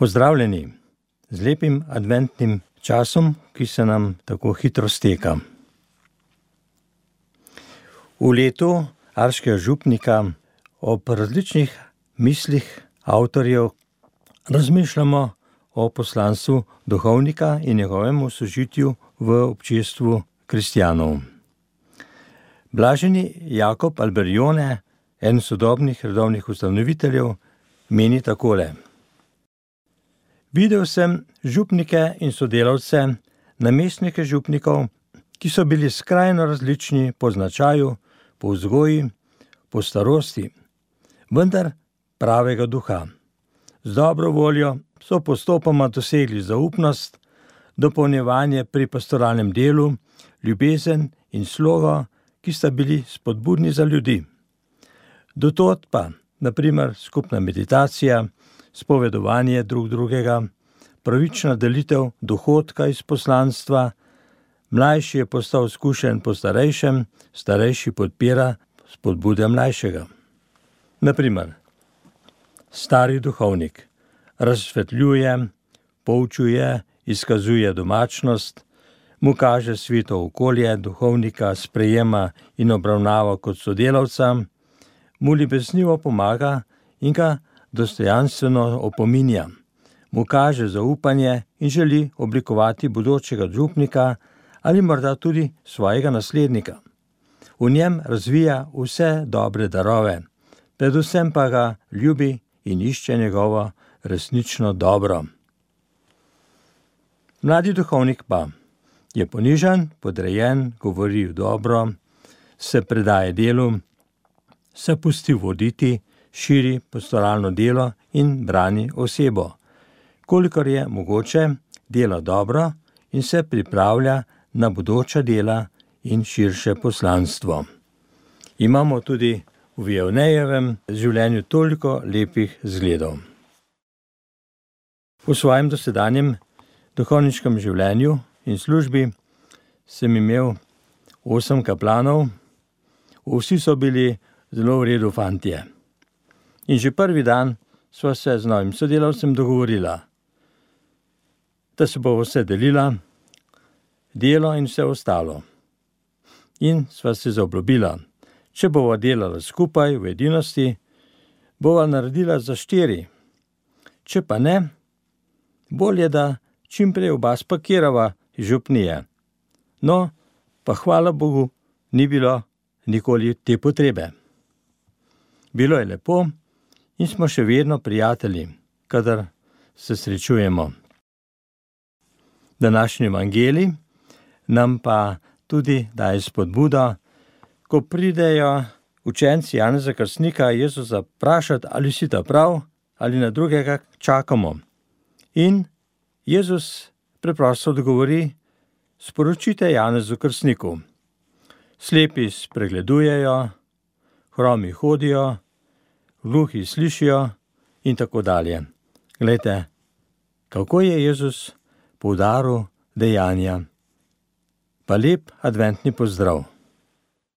Pozdravljeni z lepim adventnim časom, ki se nam tako hitro steka. V letu Arškega župnika ob različnih mislih avtorjev razmišljamo o poslanstvu duhovnika in njegovemu sožitju v občestvu kristjanov. Blaženi Jakob Alberione, eden sodobnih redovnih ustanoviteljev, meni takole. Videl sem župnike in sodelavce, namestnike župnikov, ki so bili skrajno različni po značaju, po vzgoji, po starosti, vendar pravega duha. Z dobro voljo so postopoma dosegli zaupnost, dopolnjevanje pri pastoralnem delu, ljubezen in slogo, ki sta bili spodbudni za ljudi. Do tod pa, na primer, skupna meditacija, spovedovanje drug drugega, pravična delitev dohodka iz poslanstva, mlajši je postal izkušen po starejšem, starejši podpira spodbude mlajšega. Na primer, stari duhovnik razsvetljuje, poučuje, izkazuje domačnost, mu kaže sveto okolje, duhovnika sprejema in obravnava kot sodelavca, mu ljubeznivo pomaga in ga dostojanstveno opominja, mu kaže zaupanje in želi oblikovati bodočega župnika ali morda tudi svojega naslednika. V njem razvija vse dobre darove, predvsem pa ga ljubi in išče njegovo resnično dobro. Mladi duhovnik pa je ponižan, podrejen, govori v dobro, se predaje delu, se pusti voditi, širi pastoralno delo in brani osebo. Kolikor je mogoče, dela dobro in se pripravlja na bodoča dela in širše poslanstvo. Imamo tudi v Vianneyjevem življenju toliko lepih zgledov. V svojem dosedanjem duhovniškem življenju in službi sem imel 8 kaplanov, vsi so bili zelo v redu fantje. In že prvi dan sva se z novim sodelavcem dogovorila, da se bo vse delila, delo in vse ostalo. In sva se zaobljubila, če bova delala skupaj v edinosti, bova naredila za 4. Če pa ne, bolje, da čim prej oba spakirava iz župnije. No, pa hvala Bogu, ni bilo nikoli te potrebe. Bilo je lepo in smo še vedno prijatelji, kadar se srečujemo. Današnji evangelij nam pa tudi daje spodbudo, ko pridejo učenci Janeza Krstnika Jezusa vprašati, ali si ta prav, ali na drugega čakamo. In Jezus preprosto odgovori, sporočite Janezu Krstniku. Slepi spregledujejo, hromi hodijo, gluhi slišijo in tako dalje. Glejte, kako je Jezus poudaril dejanja. Pa lep adventni pozdrav.